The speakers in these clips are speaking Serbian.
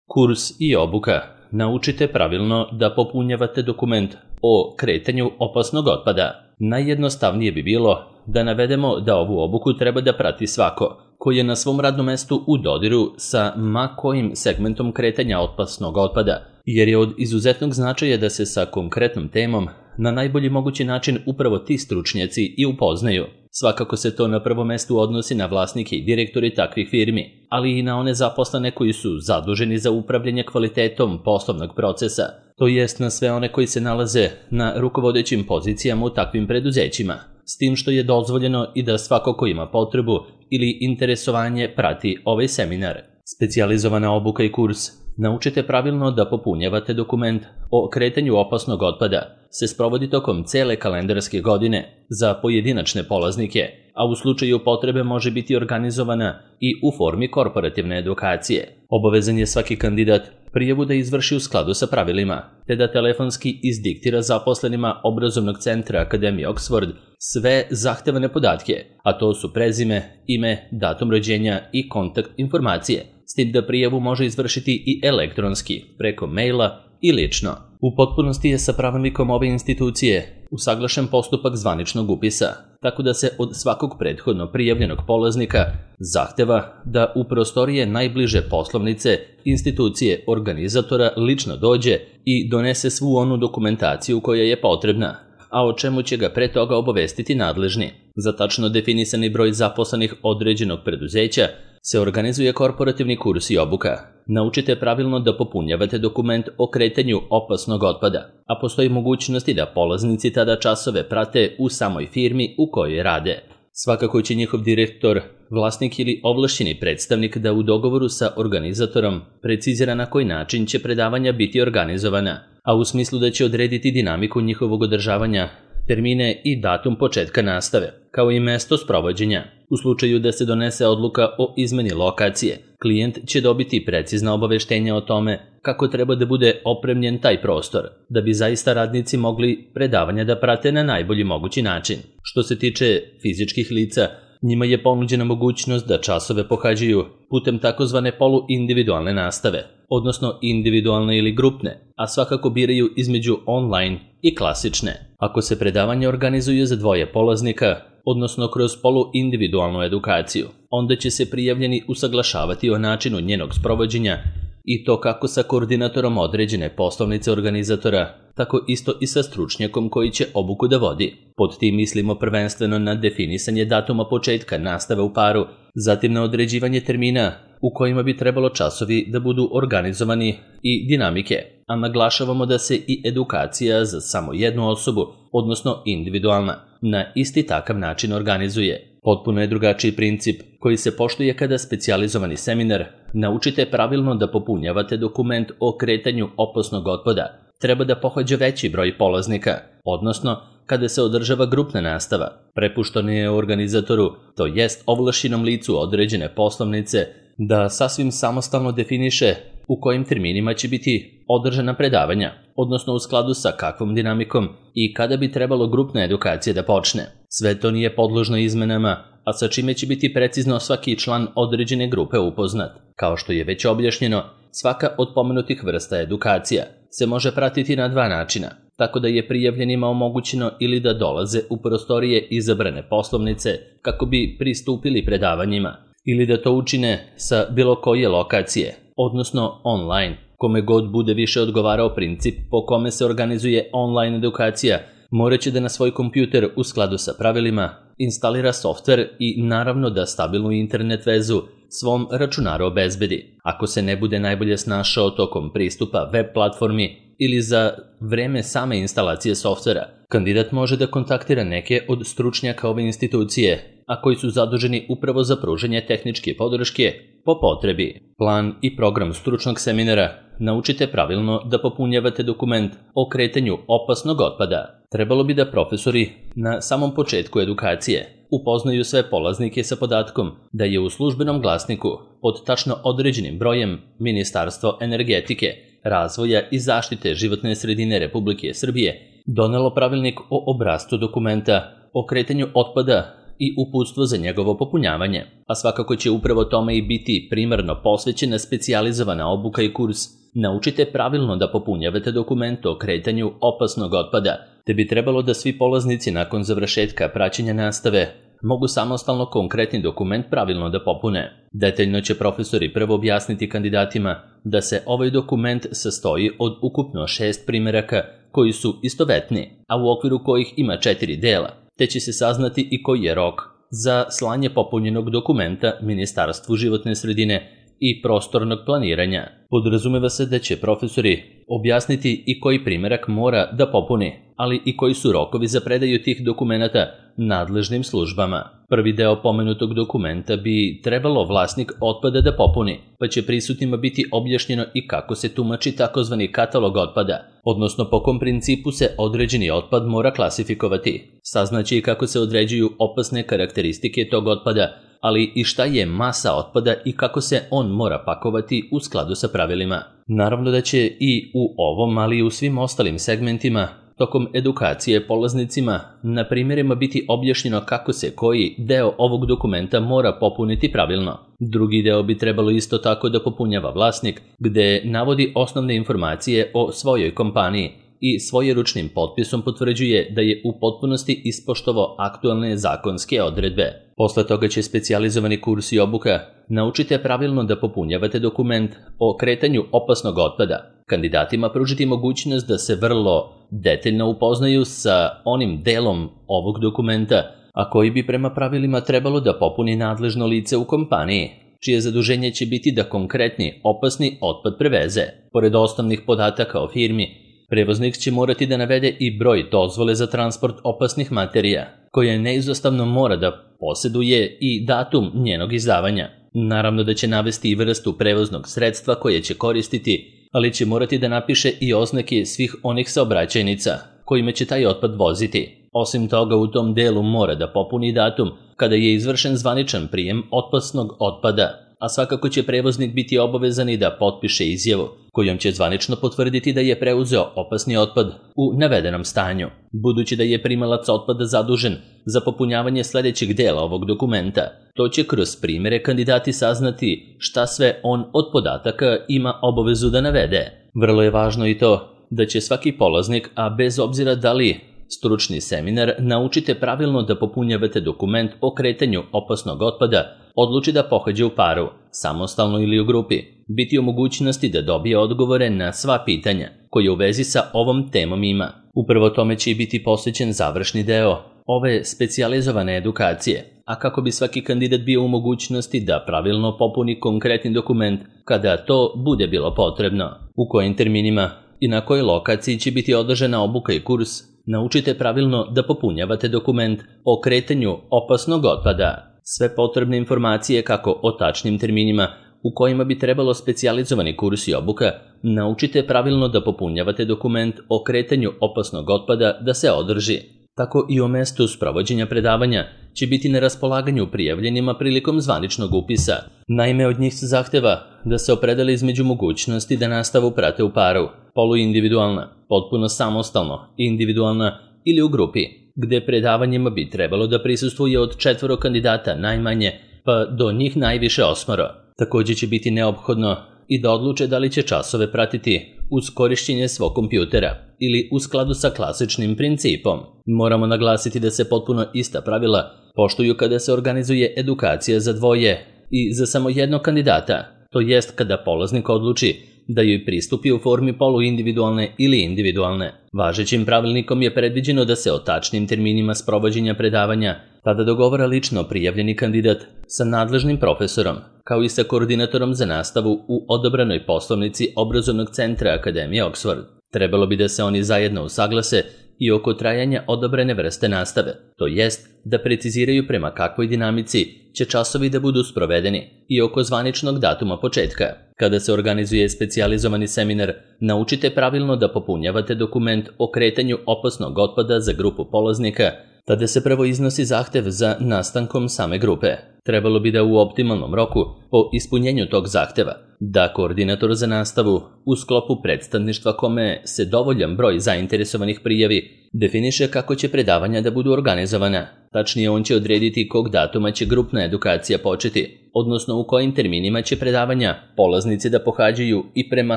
Kurs i obuka. Naučite pravilno da popunjavate dokument o kretanju opasnog otpada. Najjednostavnije bi bilo da navedemo da ovu obuku treba da prati svako koji je na svom radnom mestu u dodiru sa ma kojim segmentom kretanja opasnog otpada, jer je od izuzetnog značaja da se sa konkretnom temom na najbolji mogući način upravo ti stručnjaci i upoznaju. Svakako se to na prvom mestu odnosi na vlasnike i direktori takvih firmi, ali i na one zaposlene koji su zaduženi za upravljanje kvalitetom poslovnog procesa, to jest na sve one koji se nalaze na rukovodećim pozicijama u takvim preduzećima, s tim što je dozvoljeno i da svako ko ima potrebu ili interesovanje prati ovaj seminar. Specijalizovana obuka i kurs Naučite pravilno da popunjavate dokument o kretanju opasnog otpada se sprovodi tokom cele kalendarske godine za pojedinačne polaznike, a u slučaju potrebe može biti organizovana i u formi korporativne edukacije. Obavezan je svaki kandidat prijavu da izvrši u skladu sa pravilima, te da telefonski izdiktira zaposlenima obrazovnog centra Akademije Oxford sve zahtevane podatke, a to su prezime, ime, datum rođenja i kontakt informacije, s tim da prijavu može izvršiti i elektronski, preko maila i lično. U potpunosti je sa pravilnikom ove institucije usaglašen postupak zvaničnog upisa, tako da se od svakog prethodno prijavljenog polaznika zahteva da u prostorije najbliže poslovnice institucije organizatora lično dođe i donese svu onu dokumentaciju koja je potrebna, a o čemu će ga pre toga obavestiti nadležni. Za tačno definisani broj zaposlenih određenog preduzeća se organizuje korporativni kurs i obuka. Naučite pravilno da popunjavate dokument o kretanju opasnog otpada, a postoji mogućnosti da polaznici tada časove prate u samoj firmi u kojoj rade. Svakako će njihov direktor, vlasnik ili ovlašćeni predstavnik da u dogovoru sa organizatorom precizira na koji način će predavanja biti organizovana, a u smislu da će odrediti dinamiku njihovog održavanja, termine i datum početka nastave, kao i mesto sprovođenja. U slučaju da se donese odluka o izmeni lokacije, klijent će dobiti precizna obaveštenja o tome kako treba da bude opremljen taj prostor, da bi zaista radnici mogli predavanja da prate na najbolji mogući način. Što se tiče fizičkih lica, njima je ponuđena mogućnost da časove pohađaju putem takozvane poluindividualne nastave, odnosno individualne ili grupne, a svakako biraju između online i klasične. Ako se predavanje organizuje za dvoje polaznika, odnosno kroz poluindividualnu edukaciju, onda će se prijavljeni usaglašavati o načinu njenog sprovođenja i to kako sa koordinatorom određene poslovnice organizatora, tako isto i sa stručnjakom koji će obuku da vodi. Pod tim mislimo prvenstveno na definisanje datuma početka nastave u paru, zatim na određivanje termina u kojima bi trebalo časovi da budu organizovani i dinamike, a naglašavamo da se i edukacija za samo jednu osobu, odnosno individualna, na isti takav način organizuje. Potpuno je drugačiji princip koji se poštuje kada specijalizovani seminar Naučite pravilno da popunjavate dokument o kretanju opasnog otpada treba da pohađa veći broj polaznika, odnosno kada se održava grupna nastava. Prepušteno je organizatoru, to jest ovlašćenom licu određene poslovnice, da sasvim samostalno definiše u kojim terminima će biti održana predavanja, odnosno u skladu sa kakvom dinamikom i kada bi trebalo grupna edukacija da počne. Sve to nije podložno izmenama, a sa čime će biti precizno svaki član određene grupe upoznat. Kao što je već objašnjeno, svaka od pomenutih vrsta edukacija se može pratiti na dva načina, tako da je prijavljenima omogućeno ili da dolaze u prostorije izabrane poslovnice kako bi pristupili predavanjima, ili da to učine sa bilo koje lokacije, odnosno online. Kome god bude više odgovarao princip po kome se organizuje online edukacija, morat će da na svoj kompjuter u skladu sa pravilima instalira softver i naravno da stabilnu internet vezu svom računaru obezbedi. Ako se ne bude najbolje snašao tokom pristupa web platformi ili za vreme same instalacije softvera, kandidat može da kontaktira neke od stručnjaka ove institucije, a koji su zaduženi upravo za pružanje tehničke podrške po potrebi. Plan i program stručnog seminara Naučite pravilno da popunjavate dokument o kretanju opasnog otpada. Trebalo bi da profesori na samom početku edukacije upoznaju sve polaznike sa podatkom da je u službenom glasniku pod tačno određenim brojem Ministarstvo energetike, razvoja i zaštite životne sredine Republike Srbije donelo pravilnik o obrascu dokumenta o kretanju otpada i uputstvo za njegovo popunjavanje, a svakako će upravo tome i biti primarno posvećena specijalizovana obuka i kurs. Naučite pravilno da popunjavate dokument o kretanju opasnog otpada, te bi trebalo da svi polaznici nakon završetka praćenja nastave mogu samostalno konkretni dokument pravilno da popune. Detaljno će profesori prvo objasniti kandidatima da se ovaj dokument sastoji od ukupno 6 primeraka koji su istovetni, a u okviru kojih ima 4 dela, te će se saznati i koji je rok za slanje popunjenog dokumenta Ministarstvu životne sredine i prostornog planiranja. Podrazumeva se da će profesori objasniti i koji primerak mora da popuni, ali i koji su rokovi za predaju tih dokumenata nadležnim službama. Prvi deo pomenutog dokumenta bi trebalo vlasnik otpada da popuni, pa će prisutnima biti objašnjeno i kako se tumači takozvani katalog otpada, odnosno po kom principu se određeni otpad mora klasifikovati. Saznaće i kako se određuju opasne karakteristike tog otpada, ali i šta je masa otpada i kako se on mora pakovati u skladu sa pravilima. Naravno da će i u ovom, ali i u svim ostalim segmentima tokom edukacije polaznicima na primjerima biti objašnjeno kako se koji deo ovog dokumenta mora popuniti pravilno. Drugi deo bi trebalo isto tako da popunjava vlasnik, gde navodi osnovne informacije o svojoj kompaniji i svojeručnim potpisom potvrđuje da je u potpunosti ispoštovao aktualne zakonske odredbe. Posle toga će specijalizovani kurs i obuka naučite pravilno da popunjavate dokument o kretanju opasnog otpada. Kandidatima pružiti mogućnost da se vrlo detaljno upoznaju sa onim delom ovog dokumenta, a koji bi prema pravilima trebalo da popuni nadležno lice u kompaniji, čije zaduženje će biti da konkretni opasni otpad preveze. Pored osnovnih podataka o firmi, prevoznik će morati da navede i broj dozvole za transport opasnih materija, koje neizostavno mora da posjeduje i datum njenog izdavanja. Naravno da će navesti i vrstu prevoznog sredstva koje će koristiti, ali će morati da napiše i oznake svih onih saobraćajnica kojima će taj otpad voziti. Osim toga, u tom delu mora da popuni datum kada je izvršen zvaničan prijem opasnog otpada, a svakako će prevoznik biti obavezan i da potpiše izjavu kojom će zvanično potvrditi da je preuzeo opasni otpad u navedenom stanju. Budući da je primalac otpada zadužen za popunjavanje sledećeg dela ovog dokumenta, to će kroz primere kandidati saznati šta sve on od podataka ima obavezu da navede. Vrlo je važno i to da će svaki polaznik, a bez obzira da li stručni seminar, naučite pravilno da popunjavate dokument o kretanju opasnog otpada, odluči da pohađe u paru, samostalno ili u grupi, biti u mogućnosti da dobije odgovore na sva pitanja koje u vezi sa ovom temom ima. Upravo tome će i biti posvećen završni deo ove specijalizovane edukacije, a kako bi svaki kandidat bio u mogućnosti da pravilno popuni konkretni dokument kada to bude bilo potrebno. U kojim terminima i na kojoj lokaciji će biti održana obuka i kurs, naučite pravilno da popunjavate dokument o kretanju opasnog otpada. Sve potrebne informacije kako o tačnim terminima u kojima bi trebalo specijalizovani kurs i obuka, naučite pravilno da popunjavate dokument o kretanju opasnog otpada da se održi. Tako i o mestu sprovođenja predavanja će biti na raspolaganju prijavljenima prilikom zvaničnog upisa. Naime, od njih se zahteva da se opredele između mogućnosti da nastavu prate u paru, poluindividualna, potpuno samostalno, individualna ili u grupi, gde predavanjima bi trebalo da prisustvuje od 4 kandidata najmanje, pa do njih najviše 8. Također će biti neophodno i da odluče da li će časove pratiti uz korišćenje svog kompjutera ili u skladu sa klasičnim principom. Moramo naglasiti da se potpuno ista pravila poštuju kada se organizuje edukacija za dvoje i za samo jednog kandidata, to jest kada polaznik odluči da joj pristupi u formi poluindividualne ili individualne. Važećim pravilnikom je predviđeno da se o tačnim terminima sprovođenja predavanja tada dogovara lično prijavljeni kandidat sa nadležnim profesorom, kao i sa koordinatorom za nastavu u odobranoj poslovnici obrazovnog centra Akademije Oxford. Trebalo bi da se oni zajedno usaglase i oko trajanja odobrene vrste nastave, to jest da preciziraju prema kakvoj dinamici će časovi da budu sprovedeni i oko zvaničnog datuma početka. Kada se organizuje specijalizovani seminar, naučite pravilno da popunjavate dokument o kretanju opasnog otpada za grupu polaznika Tada se prvo iznosi zahtev za nastankom same grupe. Trebalo bi da u optimalnom roku, po ispunjenju tog zahteva, da koordinator za nastavu u sklopu predstavništva kome se dovoljan broj zainteresovanih prijavi definiše kako će predavanja da budu organizovana. Tačnije, on će odrediti kog datuma će grupna edukacija početi, odnosno u kojim terminima će predavanja polaznici da pohađaju i prema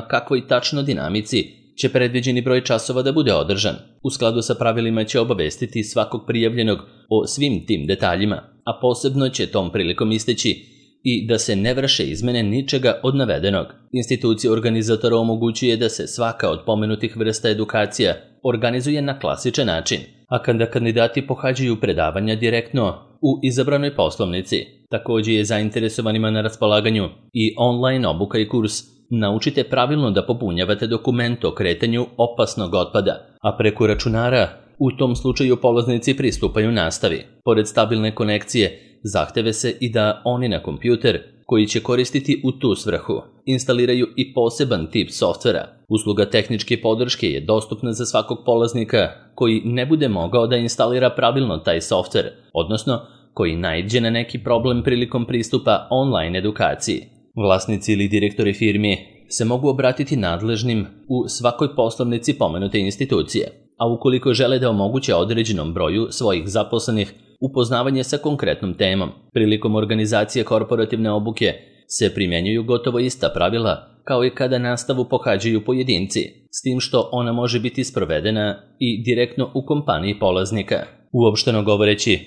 kakvoj tačno dinamici će predviđeni broj časova da bude održan. U skladu sa pravilima će obavestiti svakog prijavljenog o svim tim detaljima, a posebno će tom prilikom isteći i da se ne vrše izmene ničega od navedenog. Institucija organizatora omogućuje da se svaka od pomenutih vrsta edukacija organizuje na klasičan način, a kada kandidati pohađaju predavanja direktno u izabranoj poslovnici. Također je zainteresovanima na raspolaganju i online obuka i kurs Naučite pravilno da popunjavate dokument o kretanju opasnog otpada, a preko računara u tom slučaju polaznici pristupaju nastavi. Pored stabilne konekcije, zahteve se i da oni na kompjuter, koji će koristiti u tu svrhu, instaliraju i poseban tip softvera. Usluga tehničke podrške je dostupna za svakog polaznika koji ne bude mogao da instalira pravilno taj softver, odnosno koji naiđe na neki problem prilikom pristupa online edukaciji. Vlasnici ili direktori firmi se mogu obratiti nadležnim u svakoj poslovnici pomenute institucije, a ukoliko žele da omoguće određenom broju svojih zaposlenih upoznavanje sa konkretnom temom, prilikom organizacije korporativne obuke se primjenjuju gotovo ista pravila kao i kada nastavu pohađaju pojedinci, s tim što ona može biti sprovedena i direktno u kompaniji polaznika. Uopšteno govoreći,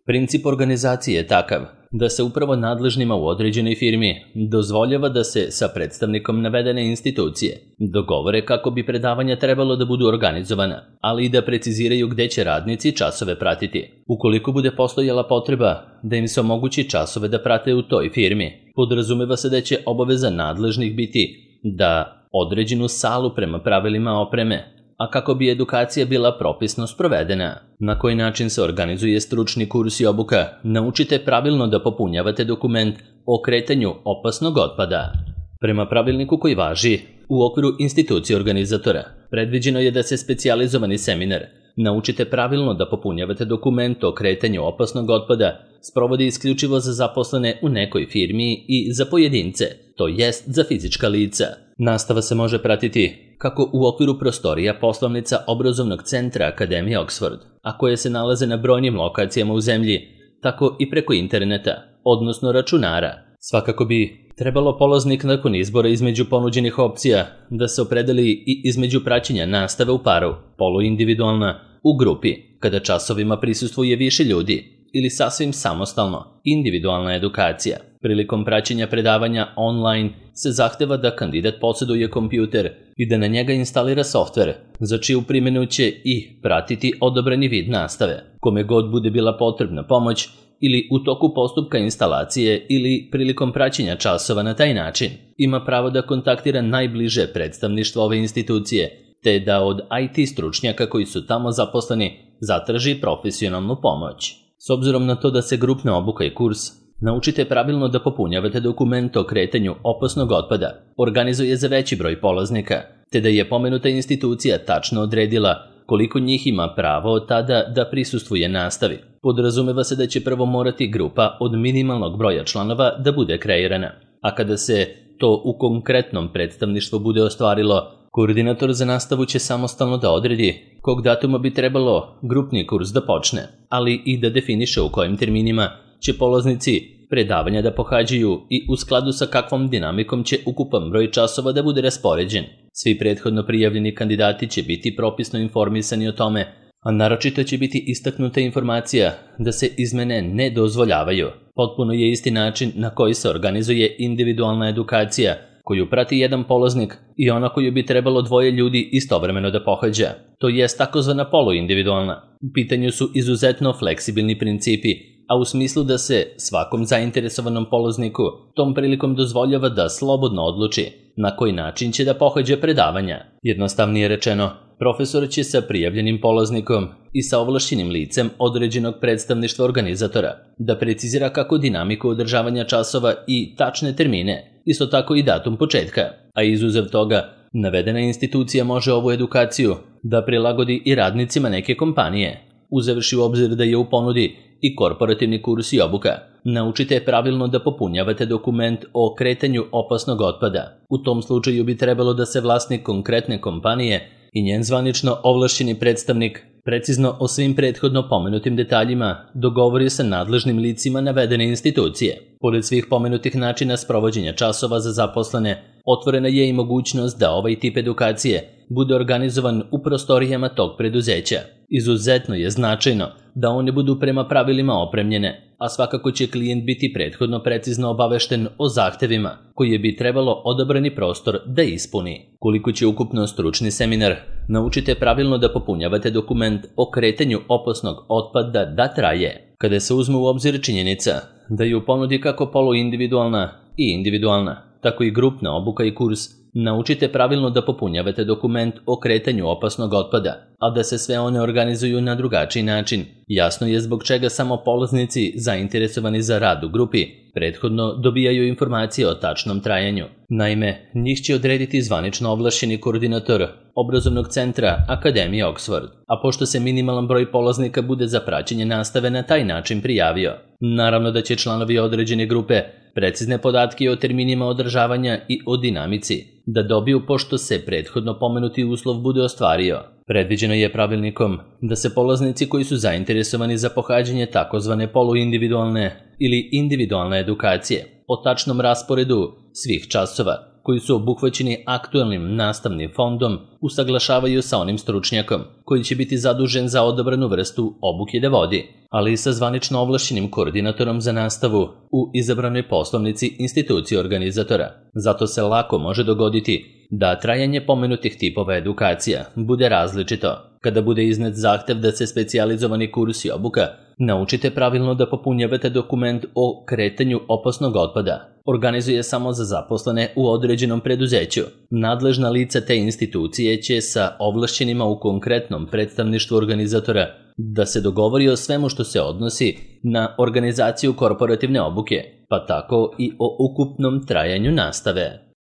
princip organizacije je takav da se upravo nadležnima u određenoj firmi dozvoljava da se sa predstavnikom navedene institucije dogovore kako bi predavanja trebalo da budu organizovana, ali i da preciziraju gde će radnici časove pratiti. Ukoliko bude postojala potreba da im se omogući časove da prate u toj firmi, podrazumeva se da će obaveza nadležnih biti da određenu salu prema pravilima opreme, a kako bi edukacija bila propisno sprovedena. Na koji način se organizuje stručni kurs i obuka? Naučite pravilno da popunjavate dokument o kretanju opasnog otpada. Prema pravilniku koji važi u okviru institucije organizatora, predviđeno je da se specijalizovani seminar Naučite pravilno da popunjavate dokument o kretanju opasnog otpada sprovodi isključivo za zaposlene u nekoj firmi i za pojedince, to jest za fizička lica. Nastava se može pratiti kako u okviru prostorija poslovnica obrazovnog centra Akademije Oxford, a koje se nalaze na brojnim lokacijama u zemlji, tako i preko interneta, odnosno računara. Svakako bi trebalo polaznik nakon izbora između ponuđenih opcija da se opredeli i između praćenja nastave u paru, poluindividualna, u grupi, kada časovima prisustvuje više ljudi, ili sasvim samostalno, individualna edukacija. Prilikom praćenja predavanja online se zahteva da kandidat posjeduje kompjuter i da na njega instalira softver, za čiju primjenu će i pratiti odabrani vid nastave. Kome god bude bila potrebna pomoć, ili u toku postupka instalacije ili prilikom praćenja časova na taj način, ima pravo da kontaktira najbliže predstavništvo ove institucije, te da od IT stručnjaka koji su tamo zaposleni zatraži profesionalnu pomoć. S obzirom na to da se grupna obuka i kurs Naučite pravilno da popunjavate dokument o kretanju opasnog otpada organizuje za veći broj polaznika, te da je pomenuta institucija tačno odredila koliko njih ima pravo od tada da prisustvuje nastavi. Podrazumeva se da će prvo morati grupa od minimalnog broja članova da bude kreirana, a kada se to u konkretnom predstavništvu bude ostvarilo, koordinator za nastavu će samostalno da odredi kog datuma bi trebalo grupni kurs da počne, ali i da definiše u kojim terminima će polaznici predavanja da pohađaju i u skladu sa kakvom dinamikom će ukupan broj časova da bude raspoređen. Svi prethodno prijavljeni kandidati će biti propisno informisani o tome, a naročito će biti istaknuta informacija da se izmene ne dozvoljavaju. Potpuno je isti način na koji se organizuje individualna edukacija, koju prati jedan polaznik i ona koju bi trebalo dvoje ljudi istovremeno da pohađa. To jest takozvana poluindividualna. U pitanju su izuzetno fleksibilni principi, a u smislu da se svakom zainteresovanom polazniku tom prilikom dozvoljava da slobodno odluči na koji način će da pohađa predavanja. Jednostavnije rečeno, profesor će sa prijavljenim polaznikom i sa ovlašćenim licem određenog predstavništva organizatora da precizira kako dinamiku održavanja časova i tačne termine, isto tako i datum početka, a izuzev toga, navedena institucija može ovu edukaciju da prilagodi i radnicima neke kompanije. uzevši u obzir da je u ponudi i korporativni kurs i obuka. Naučite pravilno da popunjavate dokument o kretanju opasnog otpada. U tom slučaju bi trebalo da se vlasnik konkretne kompanije i njen zvanično ovlašćeni predstavnik precizno o svim prethodno pomenutim detaljima dogovori sa nadležnim licima navedene institucije. Pored svih pomenutih načina sprovođenja časova za zaposlene, otvorena je i mogućnost da ovaj tip edukacije bude organizovan u prostorijama tog preduzeća. Izuzetno je značajno da one budu prema pravilima opremljene, a svakako će klijent biti prethodno precizno obavešten o zahtevima koje bi trebalo odabrani prostor da ispuni. Koliko će ukupno stručni seminar Naučite pravilno da popunjavate dokument o kretanju opasnog otpada da traje, kada se uzme u obzir činjenica da je u ponudi kako poluindividualna i individualna, tako i grupna obuka i kurs Naučite pravilno da popunjavate dokument o kretanju opasnog otpada, a da se sve one organizuju na drugačiji način. Jasno je zbog čega samo polaznici zainteresovani za rad u grupi prethodno dobijaju informacije o tačnom trajanju. Naime, njih će odrediti zvanično ovlašćeni koordinator obrazovnog centra Akademije Oxford, a pošto se minimalan broj polaznika bude za praćenje nastave na taj način prijavio, naravno da će članovi određene grupe precizne podatke o terminima održavanja i o dinamici da dobiju pošto se prethodno pomenuti uslov bude ostvario. Predviđeno je pravilnikom da se polaznici koji su zainteresovani za pohađanje takozvane poluindividualne ili individualne edukacije o tačnom rasporedu svih časova koji su obuhvaćeni aktualnim nastavnim fondom usaglašavaju sa onim stručnjakom koji će biti zadužen za odabranu vrstu obuke da vodi, ali i sa zvanično ovlašćenim koordinatorom za nastavu u izabranoj poslovnici institucije organizatora. Zato se lako može dogoditi da trajanje pomenutih tipova edukacija bude različito. Kada bude iznet zahtev da se specijalizovani kurs i obuka Naučite pravilno da popunjavate dokument o kretanju opasnog otpada organizuje samo za zaposlene u određenom preduzeću. Nadležna lica te institucije će sa ovlašćenima u konkretnom predstavništvu organizatora da se dogovori o svemu što se odnosi na organizaciju korporativne obuke, pa tako i o ukupnom trajanju nastave.